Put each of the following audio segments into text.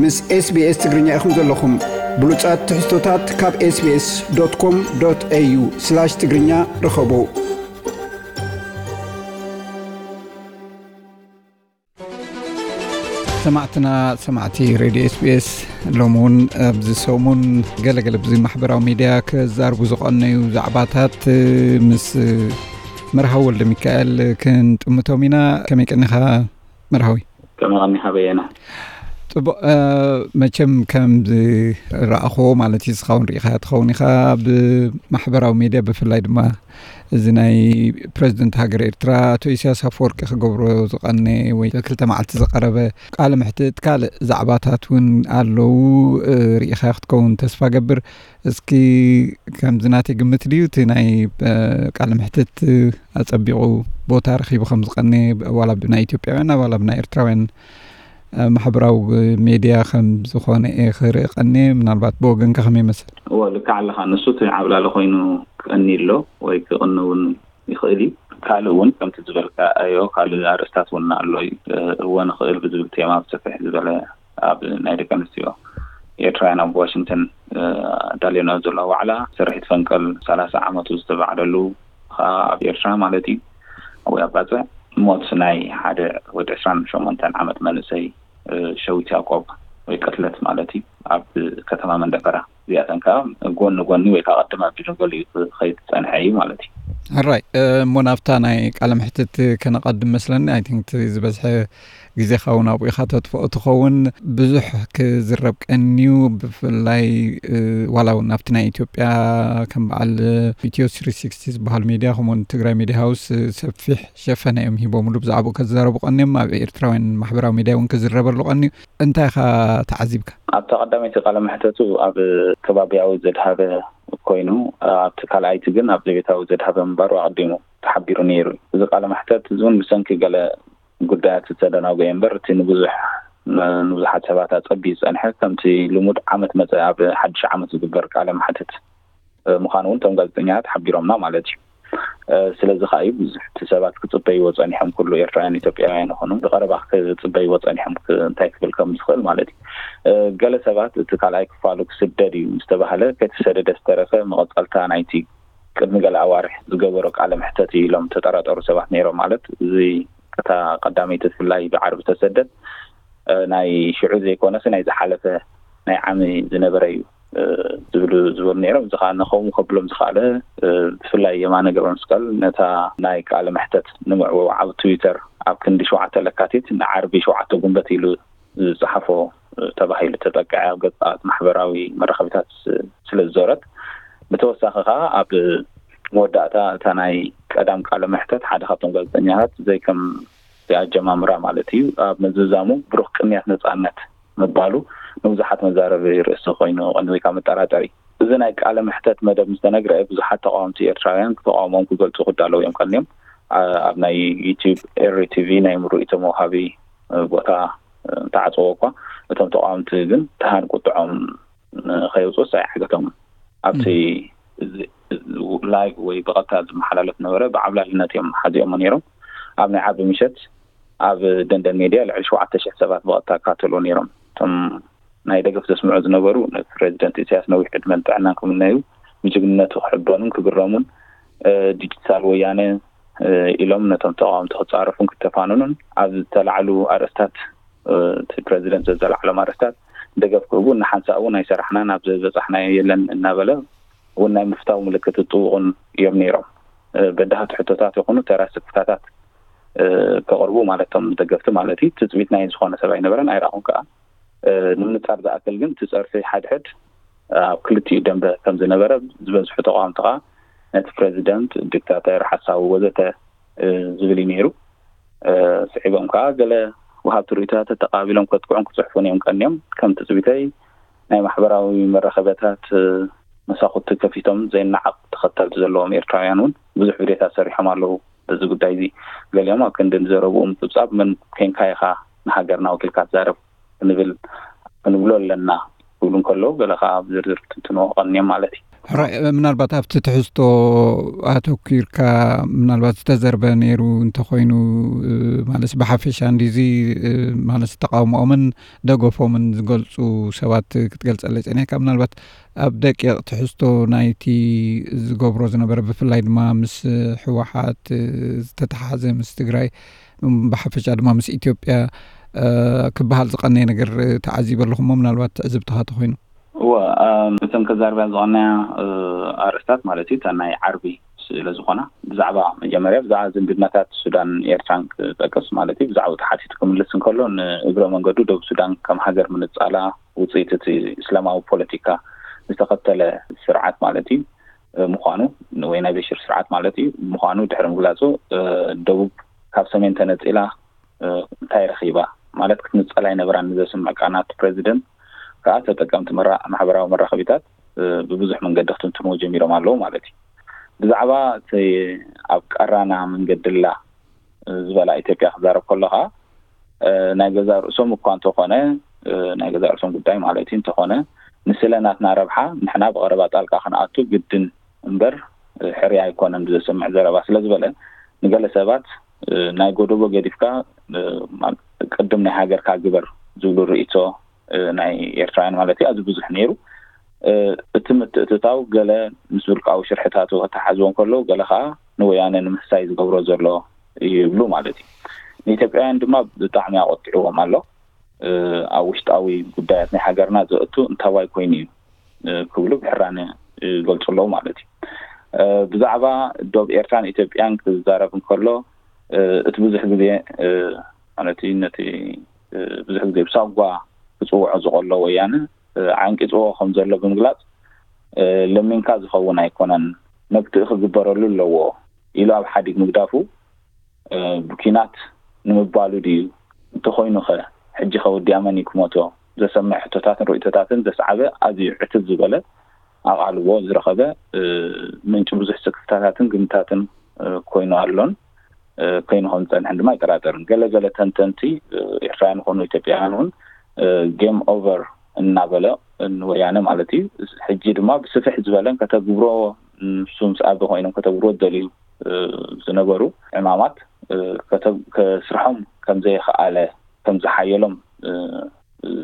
ምስ SBS ትግርኛ ኢኹም ዘለኹም። ብሉጻት ትሕዝቶታት ካብ SBS.com.au/ትግርኛ ርኸቡ። ሰማዕትና፣ ሰማዕቲ ሬድዮ SBS፣ ሎሚ እውን ኣብዚ ሰሙን ገለገለ ብዚ ማሕበራዊ ሚድያ ክዛርቡ ዝቐነዩ ዛዕባታት ምስ መርሃዊ ወልደ ሚካኤል ክንጥምቶም ኢና። ከመይ ቀኒኻ መርሃዊ? ከመይ ቀኒኻ በየነ? ጽቡቕ። መቸም ከም ዝረኣኽዎ ማለት እዩ፣ እስኻ እውን ርኢኻያ ትኸውን ኢኻ ብማሕበራዊ ሚድያ፣ ብፍላይ ድማ እዚ ናይ ፕረዚደንት ሃገር ኤርትራ ኣቶ ኢሳያስ ኣፈወርቂ ክገብሮ ዝቐነ ወይ ክልተ መዓልቲ ዝቐረበ ቃለ መሕትት፣ ካልእ ዛዕባታት እውን ኣለዉ። ርኢኻዮ ክትከውን ተስፋ ገብር። እስኪ ከምዚ ናተይ ግምት ድዩ እቲ ናይ ቃለ መሕትት ኣጸቢቑ ቦታ ረኺቡ ከም ዝቐነ፣ ዋላ ብናይ ኢትዮጵያውያን ዋላ ብናይ ኤርትራውያን ማሕበራዊ ሜድያ ከም ዝኾነ እየ ክርኢ ቀንየ። ምናልባት ብወገንካ ከመይ ይመስል? እዎ፣ ልክዕ ኣለኻ። ንሱ እቲ ዓብላሊ ኮይኑ ክቐኒ ኣሎ ወይ ክቕኒ እውን ይኽእል እዩ። ካልእ እውን ከምቲ ዝበልካዮ ካልእ ኣርእስታት እውን ኣሎ እዩ። እዎ ንኽእል ብዝብል ቴማ ብሰፊሕ ዝበለ ኣብ ናይ ደቂ ኣንስትዮ ኤርትራውያን ኣብ ዋሽንግተን ኣዳልዮና ዘሎ ዋዕላ ስርሒት ፈንቀል ሰላሳ ዓመቱ ዝተባዕለሉ፣ ከዓ ኣብ ኤርትራ ማለት እዩ፣ ወይ ኣብ ባጽዕ ሞት ናይ ሓደ ወዲ ዕስራን ሸሞንተን ዓመት መንእሰይ ሸዊት ያዕቆብ ወይ ቅትለት ማለት እዩ፣ ኣብ ከተማ መንደፈራ። እዚኣተን ከዓ ጎኒ ጎኒ ወይ ከዓ ቅድም ኣቢሉ ገሊኡ ክኸይድ ዝጸንሐ እዩ ማለት እዩ። ሕራይ እሞ ናብታ ናይ ቃለ መሕትት ከነቐድም መስለኒ። ኣይ ቲንክ ዝበዝሐ ግዜኻ እውን ኣብኡ ኢኻ ተጥፍኦ ትኸውን። ብዙሕ ክዝረብ ቀንዩ፣ ብፍላይ ዋላ እውን ኣብቲ ናይ ኢትዮጵያ ከም በዓል ኢትዮ ስሪ ሲክስቲ ዝበሃል ሚድያ ከምኡውን ትግራይ ሚድያ ሃውስ ሰፊሕ ሸፈነ እዮም ሂቦምሉ፣ ብዛዕባኡ ከዝዛረቡ ቀንዮም። ኣብ ኤርትራውያን ማሕበራዊ ሚድያ እውን ክዝረበሉ ቀንዩ። እንታይ ኢኻ ተዓዚብካ? ኣብታ ቀዳመይቲ ቃለ መሕተቱ ኣብ ከባቢያዊ ዘድሃበ ኮይኑ፣ ኣብቲ ካልኣይቲ ግን ኣብ ዘቤታዊ ዘድሃበ ምንባሩ ኣቐዲሙ ተሓቢሩ ነይሩ። እዚ ቃለ መሕተት እዚ እውን ብሰንኪ ገለ ጉዳያት ዝተደናጎየ እምበር፣ እቲ ንብዙሕ ንብዙሓት ሰባት ኣጸቢዩ ዝጸንሐ፣ ከምቲ ልሙድ ዓመት መጸ ኣብ ሓድሽ ዓመት ዝግበር ቃለ መሕትት ምዃኑ እውን እቶም ጋዜጠኛታት ሓቢሮምና ማለት እዩ። ስለዚ ከዓ እዩ ብዙሕቲ ሰባት ክጽበይዎ ጸኒሖም፣ ኩሉ ኤርትራውያን ኢትዮጵያውያን ይኹኑ ብቐረባ ክጽበይዎ ጸኒሖም፣ እንታይ ክብል ከም ዝኽእል ማለት እዩ። ገለ ሰባት እቲ ካልኣይ ክፋሉ ክስደድ እዩ ዝተባህለ፣ ከይተሰደደ ዝተረፈ መቐጸልታ ናይቲ ቅድሚ ገለ ኣዋርሕ ዝገበሮ ቃለ መሕተት እዩ ኢሎም ተጠራጠሩ ሰባት ነይሮም። ማለት እዚ እታ ቀዳመይቲ ብፍላይ ብዓርቢ ተሰደት፣ ናይ ሽዑ ዘይኮነስ ናይ ዝሓለፈ ናይ ዓሚ ዝነበረ እዩ ዝብሉ ዝበሉ ነይሮም። እዚ ከዓ ንኸምኡ ከብሎም ዝኸኣለ፣ ብፍላይ የማነ ገብረመስቀል ነታ ናይ ቃለ መሕተት ንምዕዋው ኣብ ትዊተር ኣብ ክንዲ ሸውዓተ ለካቲት ንዓርቢ ሸውዓተ ጉንበት ኢሉ ዝጸሓፎ ተባሂሉ ተጠቅዐ ኣብ ገጻት ማሕበራዊ መራኸቢታት ስለ ዝዞረት፣ ብተወሳኺ ከዓ ኣብ መወዳእታ እታ ናይ ቀዳም ቃለ መሕተት ሓደ ካብቶም ጋዜጠኛታት ዘይከም ኣጀማምራ ማለት እዩ ኣብ ምዝዛሙ ብሩኽ ቅንያት ነጻነት ምባሉ ንብዙሓት መዛረቢ ርእሲ ኮይኑ ቀንዩ ወይ ከዓ መጠራጠሪ። እዚ ናይ ቃለ መሕተት መደብ ምስ ተነግረ ብዙሓት ተቃወምቲ ኤርትራውያን ተቃውሞም ክገልጹ ክዳለዉ እዮም ቀንዮም። ኣብ ናይ ዩቲዩብ ኤሪ ቲቪ ናይ ምሩኢቶም ወሃቢ ቦታ ተዓጽዎ እኳ እቶም ተቃወምቲ ግን ተሃን ቁጥዖም ከየውፅኡስ ኣይዓገቶምን። ኣብቲ ላይቭ ወይ ብቐጥታ ዝመሓላለፍ ነበረ ብዓብላልነት እዮም ሓዚኦሞ ነይሮም። ኣብ ናይ ዓርቢ ምሸት ኣብ ደንደን ሜድያ ልዕሊ ሸውዓተ ሽሕ ሰባት ብቐጥታ ይከታተልዎ ነይሮም። እቶም ናይ ደገፍ ዘስምዑ ዝነበሩ ንፕሬዚደንት ኢሳያስ ነዊሕ ዕድመን ጥዕናን ክምነዩ፣ ብጅግንነቱ ክሕበኑን ክግረሙን፣ ዲጂታል ወያነ ኢሎም ነቶም ተቃወምቲ ክጻረፉን ክተፋነኑን ኣብ ዝተላዕሉ ኣርእስታት፣ እቲ ፕሬዚደንት ዘዘላዕሎም ኣርእስታት ደገፍ ክህቡ፣ እናሓንሳእ እውን ኣይሰራሕናን፣ ኣብ ዝበጻሕናዮ የለን እናበለ እውን ናይ ምፍታው ምልክት ዝጥውቑን እዮም ነይሮም። በዳህቲ ሕቶታት ይኹኑ ተራ ስክፍታታት ከቕርቡ ማለቶም ደገፍቲ ማለት እዩ። ትጽቢት ናይ ዝኾነ ሰብ ኣይነበረን፣ ኣይረኣኹን ከዓ። ንምንጻር ዝኣክል ግን እቲ ጸርፊ ሓድሕድ ኣብ ክልቲኡ ደንበ ከም ዝነበረ ዝበዝሑ ተቃወምቲ ከዓ ነቲ ፕሬዚደንት ዲክታተር፣ ሓሳዊ ወዘተ ዝብል እዩ ነይሩ። ስዒቦም ከዓ ገለ ወሃብቲ ርእይቶታት ተተቃቢሎም ከጥቅዑን ክጽሕፉን እዮም ቀንዮም። ከም ትጽቢተይ ናይ ማሕበራዊ መራኸቢታት መሳኹቲ ከፊቶም ዘይነዓቕ ተኸተልቲ ዘለዎም ኤርትራውያን እውን ብዙሕ ቪድዮታት ሰሪሖም ኣለዉ። በዚ ጉዳይ እዚ ገሊኦም ኣብ ክንዲ ንዘረብኡ ምጽብጻብ መን ኮንካ ኢኻ ንሃገርና ወኪልካ ትዛረብ ክንብል ክንብሎ ኣለና ክብሉ እንከለዉ ገለ ከዓ ብዝርዝር ትንትንዎ ቀንዮም ማለት እዩ። ሕራይ፣ ምናልባት ኣብቲ ትሕዝቶ ኣተኲርካ ምናልባት ዝተዘርበ ነይሩ እንተኾይኑ፣ ማለት ብሓፈሻ እንዲዚ፣ ማለት ተቃውሞኦምን ደገፎምን ዝገልጹ ሰባት ክትገልጸለይ ጸኒሕካ፣ ምናልባት ኣብ ደቂቕ ትሕዝቶ ናይቲ ዝገብሮ ዝነበረ፣ ብፍላይ ድማ ምስ ህወሓት ዝተተሓዘ፣ ምስ ትግራይ፣ ብሓፈሻ ድማ ምስ ኢትዮጵያ ክበሃል ዝቐነየ ነገር ተዓዚበ ኣለኹ እሞ፣ ምናልባት ትዕዝብትኻ ተኾይኑ። እወ፣ እቶም ከዛርብያ ዝቐነያ ኣርእስታት ማለት እዩ፣ እታ ናይ ዓርቢ ስለ ዝኾና፣ ብዛዕባ መጀመርያ ብዛዕባ ዝምድናታት ሱዳን ኤርትራን ክጠቅስ ማለት እዩ። ብዛዕባ ተሓቲቱ ክምልስ እንከሎ፣ ንእግረ መንገዱ ደቡብ ሱዳን ከም ሃገር ምንጻላ ውጽኢት እቲ እስላማዊ ፖለቲካ ዝተኸተለ ስርዓት ማለት እዩ ምዃኑ፣ ወይ ናይ በሽር ስርዓት ማለት እዩ ምዃኑ ድሕሪ ምግላጹ፣ ደቡብ ካብ ሰሜን ተነጺላ እንታይ ረኺባ ማለት ክትንጸል ኣይነበራን ንዘስምዕ ቃናት ፕሬዚደንት ከኣ፣ ተጠቀምቲ መራ-፣ ማሕበራዊ መራኸቢታት ብብዙሕ መንገዲ ክትንትንዎ ጀሚሮም ኣለዉ ማለት እዩ። ብዛዕባ እቲ ኣብ ቀራና መንገድላ ዝበላ ኢትዮጵያ ክዛረብ ከሎ ከኣ፣ ናይ ገዛ ርእሶም እኳ እንተኾነ፣ ናይ ገዛ ርእሶም ጉዳይ ማለት እዩ እንተኾነ፣ ንስለ ናትና ረብሓ ንሕና ብቐረባ ጣልቃ ክንኣቱ ግድን እምበር፣ ሕርያ ኣይኮነን ብዘስምዕ ዘረባ ስለ ዝበለ፣ ንገለ ሰባት፣ ናይ ጎደቦ ገዲፍካ፣ ቅድም ናይ ሃገርካ ግበር ዝብሉ ርእይቶ፣ ናይ ኤርትራውያን ማለት እዩ፣ ኣዝዩ ብዙሕ ነይሩ። እቲ ምትእትታው ገለ ምስ ውልቃዊ ሽርሕታቱ ከተሓዝቦ እንከሎ፣ ገለ ከኣ ንወያነ ንምሕሳይ ዝገብሮ ዘሎ እዩ ይብሉ ማለት እዩ። ንኢትዮጵያውያን ድማ ብጣዕሚ ኣቖጢዕዎም ኣሎ። ኣብ ውሽጣዊ ጉዳያት ናይ ሃገርና ዘእቱ እንታዋይ ኮይኑ እዩ ክብሉ ብሕራነ ይገልጹ ኣለዉ ማለት እዩ። ብዛዕባ ዶብ ኤርትራን ኢትዮጵያን ክዛረብ እንከሎ፣ እቲ ብዙሕ ግዜ ማለት እዩ ነቲ ብዙሕ ግዜ ብሳጓ ክጽውዖ ዝቐሎ ወያነ ዓንቂጽዎ ከም ዘሎ ብምግላጽ፣ ለሚንካ ዝኸውን ኣይኮነን፣ መግትኢ ክግበረሉ ኣለዎ ኢሉ ኣብ ሓዲግ ምግዳፉ፣ ብኲናት ንምባሉ ድዩ? እንተኾይኑኸ፣ ሕጂኸ ወዲኣ መን እዩ ክሞቶ? ዘሰምዕ ሕቶታትን ርእይቶታትን ዘስዓበ ኣዝዩ ዕትብ ዝበለ ኣቓልቦ ዝረኸበ ምንጪ ብዙሕ ስክፍታታትን ግምታትን ኮይኑ ኣሎን ኮይኑ ከም ዝጸንሐን ድማ ኣይጠራጠርን። ገለ ገለ ተንተንቲ፣ ኤርትራውያን ይኹኑ ኢትዮጵያውያን እውን፣ ጌም ኦቨር እናበለ፣ ንወያነ ማለት እዩ፣ ሕጂ ድማ ብስፍሕ ዝበለን ከተግብሮ፣ ንሱ ምስ ኣቢ ኮይኖም ከተግብሮ ዝደልዩ ዝነበሩ ዕማማት ከተ-፣ ከስርሖም ከም ዘይኸኣለ፣ ከም ዝሓየሎም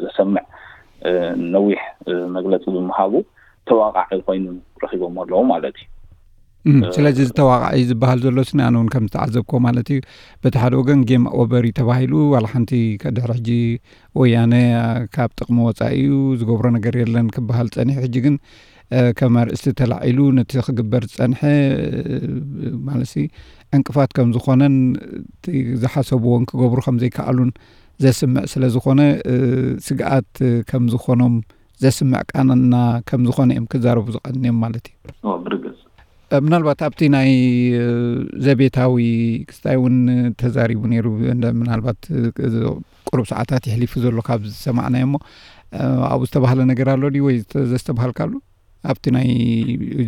ዘሰምዕ ነዊሕ መግለጺ ብምሃቡ ተዋቃዒ ኮይኑ ረኺቦም ኣለዉ ማለት እዩ። እም፣ ስለዚ እዚ ተዋቃዒ ዝበሃል ዘሎ ስኒ ኣነ እውን ከም ዝተዓዘብኮ ማለት እዩ። በቲ ሓደ ወገን ጌም ኦቨር እዩ ተባሂሉ፣ ዋላ ሓንቲ ከ-፣ ድሕሪ ሕጂ ወያነ ካብ ጥቕሚ ወጻኢ እዩ፣ ዝገብሮ ነገር የለን ክበሃል ጸኒሑ። ሕጂ ግን፣ እ፣ ከም ኣርእስቲ ተላዒሉ ነቲ ክግበር ዝጸንሐ፣ እ፣ ማለት ሲ ዕንቅፋት ከም ዝኾነን እቲ ዝሓሰብዎን ክገብሩ ከም ዘይከኣሉን ዘስምዕ ስለ ዝኾነ፣ እ፣ ስግኣት ከም ዝኾኖም ዘስምዕ ቃና ከም ዝኾነ እዮም ክዛረቡ ዝቐንዮም ማለት እዩ። ኦ፣ ብርግጽ። እ፣ ምናልባት ኣብቲ ናይ፣ እ፣ ዘቤታዊ ክስታይ እውን ተዛሪቡ ነይሩ። እንደ-፣ ምናልባት፣ እ፣ እዚ ቁሩብ ሰዓታት ይሕሊፉ ዘሎ ካብ ዝሰማዕናዮ እሞ፣ እ፣ ኣብኡ ዝተባህለ ነገር ኣሎ ድዩ ወይ ዘተ-፣ ዘስተባሃልካሉ? ኣብቲ ናይ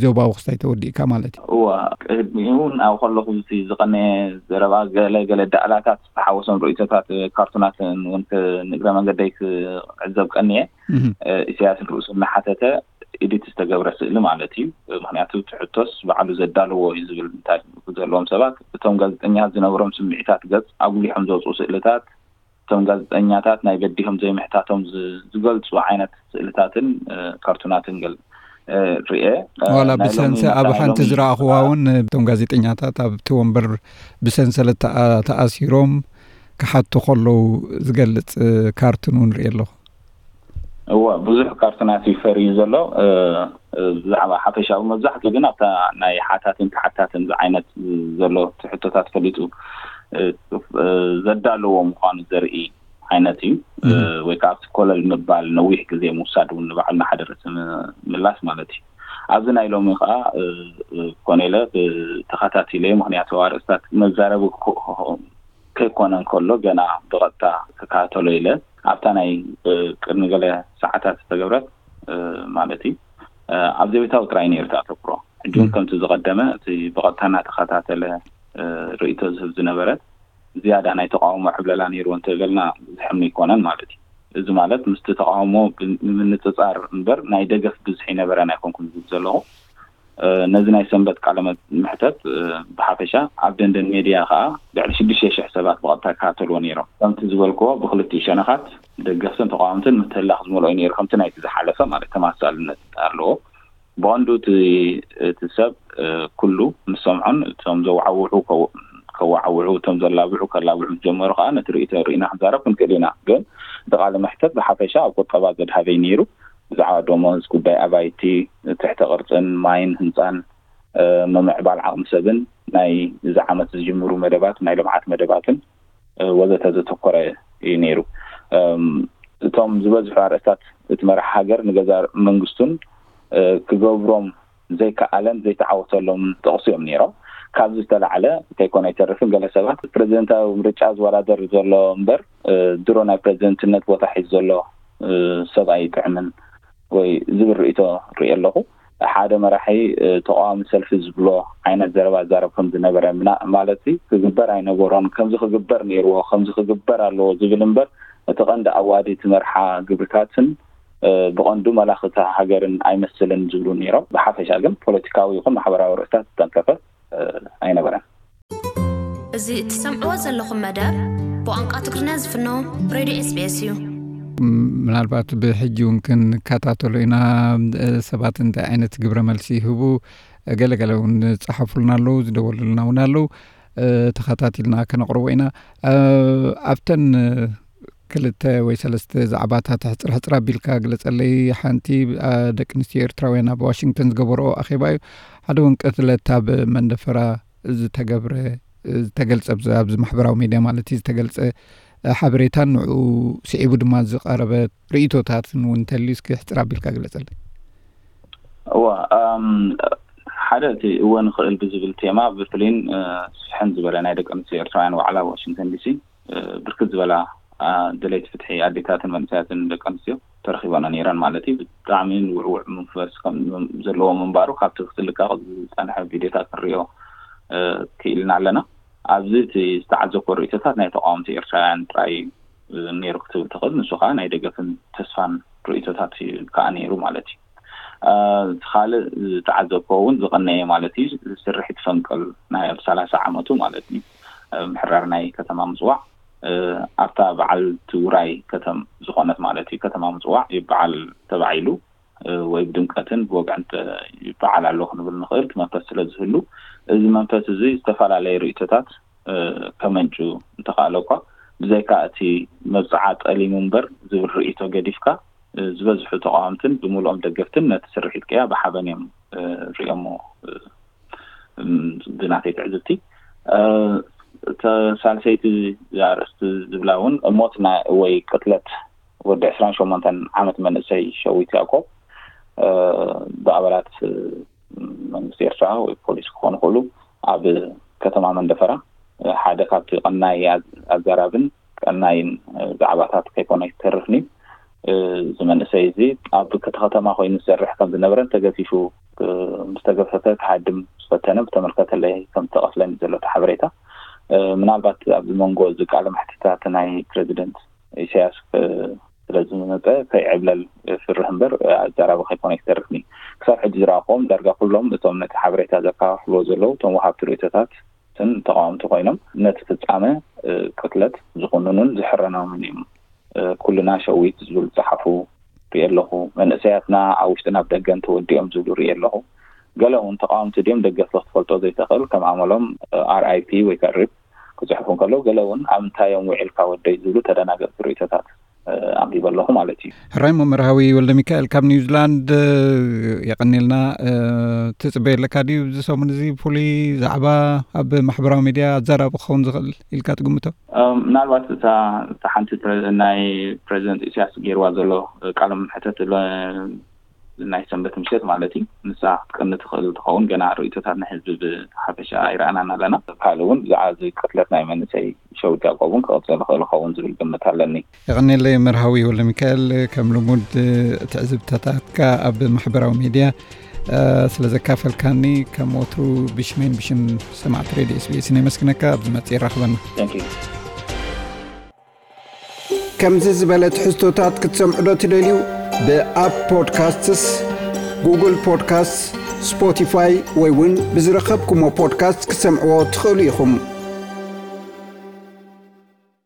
ዞባዊ ክስታይ ተወዲእካ ማለት እዩ። እዋ፣ ቅድሚኡ እውን ኣብ ከለኹ እቲ ዝቐነየ ዘረባ ገለ ገለ ዳእላታት ዝተሓወሶም ርእይቶታት፣ እ፣ ካርቱናት እውን ክ-፣ ንእግረ መንገደይ ክዕዘብ ቀንየ። እህ። እ፣ ኢሳያስ ንርእሱ እናሓተተ ኤዲት ዝተገብረ ስእሊ ማለት እዩ። ምኽንያቱ እቲ ሕቶስ ባዕሉ ዘዳለዎ እዩ ዝብል እንታይ ዘለዎም ሰባት፣ እቶም ጋዜጠኛታት ዝነበሮም ስምዒታት ገጽ ኣጉሊሖም ዘውፅኡ ስእልታት፣ እቶም ጋዜጠኛታት ናይ በዲሆም ዘይምሕታቶም ዝ-፣ ዝገልጹ ዓይነት ስእልታትን፣ እ፣ ካርቱናትን ገል-፣ እ፣ ርኤ። እ፣ ዋላ ናይ ሎሚ ብሰንሰ-፣ ኣብ መታን ሓንቲ ሎሚ ዝረኣኽዋ እውን እቶም ጋዜጠኛታት ኣብቲ ወንበር ብሰንሰለት ተኣ-፣ ተኣሲሮም ክሓቱ ከለዉ ዝገልጽ፣ እ፣ ካርቱን እውን ርኤ ኣለኹ። እወ፣ ብዙሕ ካርቱናት እዩ ፈርዩ ዘሎ። እ፣ እ፣ ብዛዕባ ሓፈሻዊ መብዛሕትኡ ግን ኣብታ ናይ ሓታትን ተሓታትን ዝዓይነት ዘሎ እቲ ሕቶታት ፈሊጡ፣ እ፣ እ፣ ዘዳለዎ ምዃኑ ዘርኢ ዓይነት እዩ። እ፣ እም። ወይ ከዓ ኣብቲ ኮለል ምባል ነዊሕ ግዜ ምውሳድ እውን ንባዕሉ ንሓደ ርእሲ ም-፣ ምላስ ማለት እዩ። ኣብዚ ናይ ሎሚ ከዓ፣ እ፣ እ፣ ኮነ ኢለ ብ-፣ ተኸታቲለ፣ ምኽንያቱ ኣርእስታት መዛረቢ ክኾ-፣ ከይኮነ እንከሎ ገና ብቐጥታ ክከታተሎ ኢለ ኣብታ ናይ፣ እ፣ ቅድሚ ገለ ሰዓታት ዝተገብረት፣ እ፣ ማለት እዩ፣ እ፣ ኣብ ዘቤታዊ ጥራይ ነይሩ እቲ ኣተኩሮ። ሕጂ እውን እም። ከምቲ ዝቐደመ እቲ ብቐጥታ እናተኸታተለ፣ እ፣ ርእይቶ ዝህብ ዝነበረ ዝያዳ ናይ ተቃውሞ ዕብለላ ነይርዎ እንተበልና ዝሕም ኣይኮነን ማለት እዩ። እዚ ማለት ምስቲ ተቃውሞ ብ-፣ ንምንጽጻር እምበር ናይ ደገፍ ብዝሒ ነበረን ኣይኮንኩን ዝብል ዘለኹ። ነዚ ናይ ሰንበት ቃለ ምሕተት ብሓፈሻ ኣብ ደንደን ሜድያ ከዓ ልዕሊ ሽዱሽተ ሽሕ ሰባት ብቐጥታ ይከታተልዎ ነይሮም። ከምቲ ዝበልክዎ ብክልቲኡ ሸነኻት ደገፍትን ተቃወምትን ምትህልላኽ ዝመልኦ እዩ ነይሩ። ከምቲ ናይቲ ዝሓለፈ ማለት ተመሳሳልነት ኣለዎ። ብቐንዱ እቲ ሰብ ኩሉ ምስ ሰምዖን እቶም ዘወዓውዑ ከወዓውዑ እቶም ዘላብዑ ከላብዑ ምስ ጀመሩ ከዓ ነቲ ርእይቶ ርኢና ክንዛረብ ክንክእል ኢና። ግን እቲ ቃለ መሕተት ብሓፈሻ ኣብ ቁጠባ ዘድሃበይ ነይሩ። ብዛዕባ ደሞዝ፣ ጉዳይ ኣባይቲ፣ ትሕተ ቅርፅን ማይን ህንፃን፣ ምምዕባል ዓቕሚ ሰብን ናይ እዚ ዓመት ዝጅምሩ መደባት ናይ ልምዓት መደባትን ወዘተ ዘተኮረ እዩ ነይሩ። እቶም ዝበዝሑ ኣርእስታት እቲ መራሕ ሃገር ንገዛ መንግስቱን ክገብሮም ዘይከኣለን ዘይተዓወተሎም ጠቕሱ እዮም ነይሮም። ካብዚ ዝተላዕለ ከይኮነ ኣይተርፍን ገለ ሰባት ፕሬዚደንታዊ ምርጫ ዝወዳደር ዘሎ እምበር ድሮ ናይ ፕሬዚደንትነት ቦታ ሒዙ ዘሎ ሰብ ኣይጥዕምን ወይ ዝብል ርእይቶ ርኢ ኣለኹ። ሓደ መራሒ ተቃዋሚ ሰልፊ ዝብሎ ዓይነት ዘረባ ዛረብ ከም ዝነበረ ማለት ክግበር ኣይነበሮን፣ ከምዚ ክግበር ነይርዎ፣ ከምዚ ክግበር ኣለዎ ዝብል እምበር እቲ ቀንዲ ኣዋዲ እቲ መርሓ ግብርታትን ብቐንዱ መላኽታ ሃገርን ኣይመስልን ዝብሉ ነይሮም። ብሓፈሻ ግን ፖለቲካዊ ይኹን ማሕበራዊ ርእስታት ዝተንከፈ ኣይነበረን። እዚ እትሰምዕዎ ዘለኹም መደብ ብቋንቋ ትግርኛ ዝፍኖ ሬድዮ ኤስቢኤስ እዩ። ምናልባት ብሕጂ እውን ክንከታተሎ ኢና። ሰባት እንታይ ዓይነት ግብረ መልሲ ይህቡ፣ ገለገለ እውን ዝፀሓፉልና ኣለዉ፣ ዝደወሉልና እውን ኣለዉ። ተኸታቲልና ከነቕርቦ ኢና። ኣብተን ክልተ ወይ ሰለስተ ዛዕባታት ሕፅር ሕፅር ኣቢልካ ግለፀለይ። ሓንቲ ደቂ ኣንስትዮ ኤርትራውያን ኣብ ዋሽንግተን ዝገበርኦ ኣኼባ እዩ። ሓደ እውን ቅትለት ኣብ መንደፈራ ዝተገብረ ዝተገልፀ ኣብዚ ማሕበራዊ ሜድያ ማለት እዩ ዝተገልፀ ሓበሬታን ንዕኡ ስዒቡ ድማ ዝቐረበ ርእይቶታትን እውን እንተልዩ እስኪ ሕፅር ኣቢልካ ግለፀለይ። እዋ ሓደ እቲ እወ ንኽእል ብዝብል ቴማ ብፍልይን ስፍሕን ዝበለ ናይ ደቂ ኣንስትዮ ኤርትራውያን ዋዕላ ኣብ ዋሽንግተን ዲሲ ብርክት ዝበላ ደለይቲ ፍትሒ ኣዴታትን መንእሰያትን ደቂ ኣንስትዮ ተረኺበና ነይረን ማለት እዩ። ብጣዕሚ ውዕውዕ መንፈስ ዘለዎ ምንባሩ ካብቲ ክትልቀቕ ዝፀንሐ ቪድዮታት ክንሪኦ ክኢልና ኣለና። ኣብዚ እቲ ዝተዓዘብኮ ርእይቶታት ናይ ተቃወምቲ ኤርትራውያን ጥራይ ነይሩ ክትብል ትኽእል። ንሱ ከዓ ናይ ደገፍን ተስፋን ርእይቶታት ከዓ ነይሩ ማለት እዩ። እቲ ካልእ ዝተዓዘብኮ እውን ዝቐነየ ማለት እዩ ስርሒት ፈንቅል ናይ ኣብ ሰላሳ ዓመቱ ማለት እዩ ምሕራር ናይ ከተማ ምፅዋዕ ኣብታ በዓል ትውራይ ከተም ዝኾነት ማለት እዩ ከተማ ምፅዋዕ ይበዓል ተባዒሉ ወይ ብድምቀትን ብወግዕን ይበዓል ኣሎ ክንብል ንኽእል። እቲ መንፈስ ስለ ዝህሉ እዚ መንፈስ እዚ ዝተፈላለዩ ርእይቶታት ከመንጩ እንተኽኣለ እኳ ብዘይካ እቲ መብፅዓ ጠሊሙ እምበር ዝብል ርእይቶ ገዲፍካ ዝበዝሑ ተቃወምትን ብምልኦም ደገፍትን ነቲ ስርሒት ቅያ ብሓበን እዮም ርእዮሞ። ብናተይ ትዕዝብቲ ሳልሰይቲ ኣርእስቲ ዝብላ እውን ሞት ወይ ቅትለት ወዲ ዕስራን ሸሞንተን ዓመት መንእሰይ ሸዊት ያዕቆብ ብኣባላት መንግስቲ ኤርትራ ወይ ፖሊስ ክኾኑ ክእሉ ኣብ ከተማ መንደፈራ ሓደ ካብቲ ቀናይ ኣዛራብን ቀናይን ዛዕባታት ከይኮነ ይተርፍኒ። እዚ መንእሰይ እዚ ኣብ ክልተ ከተማ ኮይኑ ዝሰርሕ ከም ዝነበረን ተገፊፉ ምስ ተገፈፈ ክሃድም ዝፈተነ ብተመልከተለይ ከም ዝተቐትለን እዩ ዘሎ እቲ ሓበሬታ። ምናልባት ኣብዚ መንጎ እዚ ቃለ መሕትታት ናይ ፕረዚደንት ኢሳያስ ስለ ዝመፀ ከይዕብለል ፍርህ እምበር ኣዛራቢ ከይኮነ ይተርፍኒ። ክሳብ ሕጂ ዝረኣኹዎም ዳርጋ ኩሎም እቶም ነቲ ሓበሬታ ዘከፋፍልዎ ዘለዉ እቶም ወሃብቲ ርእይቶታትን ተቃወምቲ ኮይኖም ነቲ ፍፃመ ቅትለት ዝኹንኑን ዝሕረኖምን እዮም። ኩልና ሸዊት ዝብል ዝፀሓፉ ሪኤ ኣለኹ። መንእሰያትና ኣብ ውሽጥን ኣብ ደገን ተወዲኦም ዝብሉ ሪኤ ኣለኹ። ገለ እውን ተቃወምቲ ድዮም ደገፍቲ ክትፈልጦ ዘይተኽእል ከም ኣመሎም ኣር ኣይ ፒ ወይ ከዓ ሪፕ ክፅሕፉ እንከለዉ ገለ እውን ኣብ እንታይ እዮም ውዒልካ ወደይ ዝብሉ ተደናገፅቲ ርእይቶታት ኣንቢበ ኣለኹ ማለት እዩ። ሕራይ እሞ መርሃዊ ወልደሚካኤል ካብ ኒውዚላንድ የቐንየልና። ትፅበየ ኣለካ ድዩ እዚ ሰሙን እዚ ፍሉይ ዛዕባ ኣብ ማሕበራዊ ሚድያ ኣዘራቢ ክኸውን ዝኽእል ኢልካ ትግምቶ? ምናልባት እታ እታ ሓንቲ ፕረ- ናይ ፕሬዚደንት ኢሳያስ ገይርዋ ዘሎ ቃለ መሕተት ለ- ናይ ሰንበት ምሸት ማለት እዩ። ንሳ ክትቀኒ ትኽእል ትኸውን። ገና ርእይቶታት ናይ ህዝቢ ብሓፈሻ ኣይረኣናን ኣለና። ካልእ እውን ብዛዕባ እዚ ቅትለት ናይ መንእሰይ ሸዊት ያዕቆብ እውን ክቐፅል ይኽእል ይኸውን ዝብል ግምት ኣለኒ። የቐንየለይ መርሃዊ ወልደሚካኤል ከም ልሙድ ትዕዝብትታትካ ኣብ ማሕበራዊ ሚድያ ስለ ዘካፈልካኒ ከም ወትሩ ብሽመይን ብሽም ሰማዕቲ ሬድዮ ኤስቢኤስን የመስግነካ። ኣብ ዝመፅእ የራኽበና። Thank you። ከምዚ ዝበለ ትሕዝቶታት ክትሰምዑ ዶ ትደልዩ? ብኣፕ ፖድካስትስ፣ ጉግል ፖድካስትስ፣ ስፖቲፋይ ወይ እውን ብዝረኸብኩሞ ፖድካስት ክትሰምዕዎ ትኽእሉ ኢኹም።